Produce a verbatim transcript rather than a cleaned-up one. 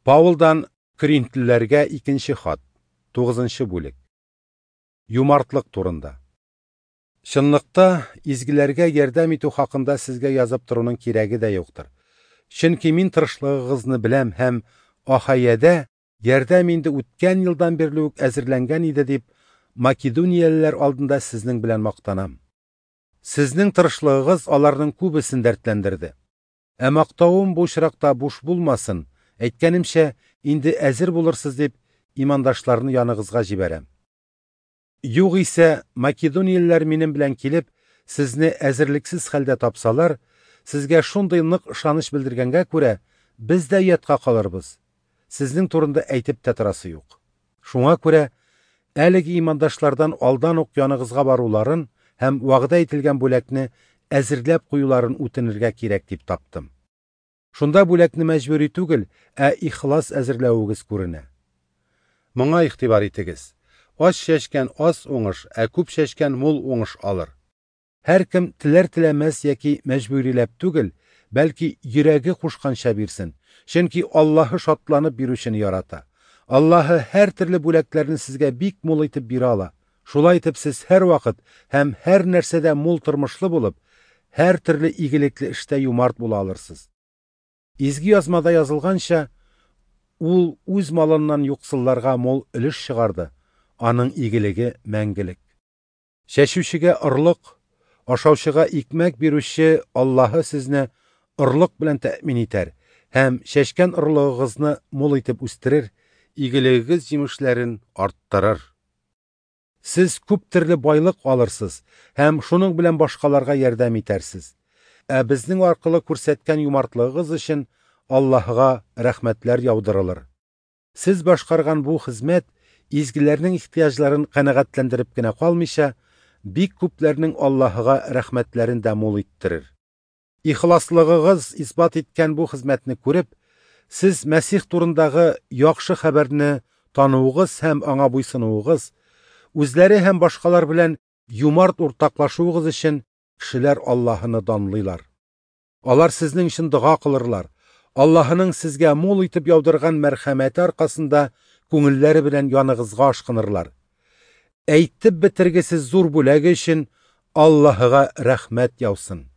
Паулдан Коринфлеләргә икенче хат, тугызынчы бүлек. Юмартлык турында. Чынлыкта изгеләргә ярдәм итү хакында сезгә язып торуның кирәге дә юктыр. Чөнки мин тырышлыгыгызны беләм һәм Ахайяда ярдәм инде үткән елдан бирле үк әзерләнгән иде дип Македониялеләр алдында сезнең белән мактанам. Сезнең тырышлыгыгыз аларның күбесен дәртләндерде. Ә мактавым бу очракта буш булмасын, әйткәнемчә, инде әзер булырсыз дип имандашларны яныгызга җибәрәм. Югыйсә македониялеләр минем белән килеп, сезне әзерлексез хәлдә тапсалар, сезгә шундый нык ышаныч белдергәнгә күрә, без дә оятка калырбыз. Сезнең турында әйтеп тә торасы юк. Шуңа күрә әлеге имандашлардан алдан ук яныгызга баруларын һәм вәгъдә ителгән бүләкне әзерләп куюларын үтенергә кирәк дип таптым. Шунда бүләкне мәҗбүри түгел, ә ихлас әзерләвегез күренә. Моңа игътибар итегез. Аз чәчкән аз уңыш, ә күп чәчкән мул уңыш алыр. Һәркем теләр-теләмәс яки мәҗбүриләп түгел, бәлки йөрәге кушканча бирсен. Чөнки Аллаһы шатланып бирүчене ярата. Аллаһы һәр төрле бүләкләрне сезгә бик мул итеп бирә ала. Шулай итеп сез һәрвакыт һәм һәр нәрсәдә мул тормышлы булып, һәр төрле игелекле эштә юмарт була алырсыз. Изге язмада язылганча, ул үз малыннан юксылларга мул өлеш чыгарды, аның игелеге мәңгелек. Чәчүчегә орлык, ашаучыга икмәк бирүче Аллаһы сезне орлык белән тәэмин итәр һәм чәчкән орлыгыгызны мул итеп үстерер, игелегегез җимешләрен арттырыр. Сез күп төрле байлык алырсыз һәм шуның белән башкаларга ярдәм итәрсез. Ә безнең аркылы күрсәткән юмартлыгыгыз өчен Аллаһыга рәхмәтләр яудырылыр. Сез башкарган бу хезмәт изгеләрнең ихтыяҗларын канәгатьләндереп кенә калмыйча, бик күпләрнең Аллаһыга рәхмәтләрен дә мул иттерер. Ихласлыгыгыз исбат иткән бу хезмәтне күреп, сез Мәсих турындагы яхшы хәбәрне тануыгыз һәм аңа буйсынуыгыз, үзләре һәм башкалар белән юмарт уртаклашуыгыз өчен кешеләр Аллаһыны данлыйлар. Алар сезнең өчен дога кылырлар. Аллаһының сезгә мул итеп яудырган мәрхәмәте аркасында күңелләре белән яныгызга ашкынырлар. Әйтеп бетергесез зур бүләге өчен Аллаһыга рәхмәт яусын.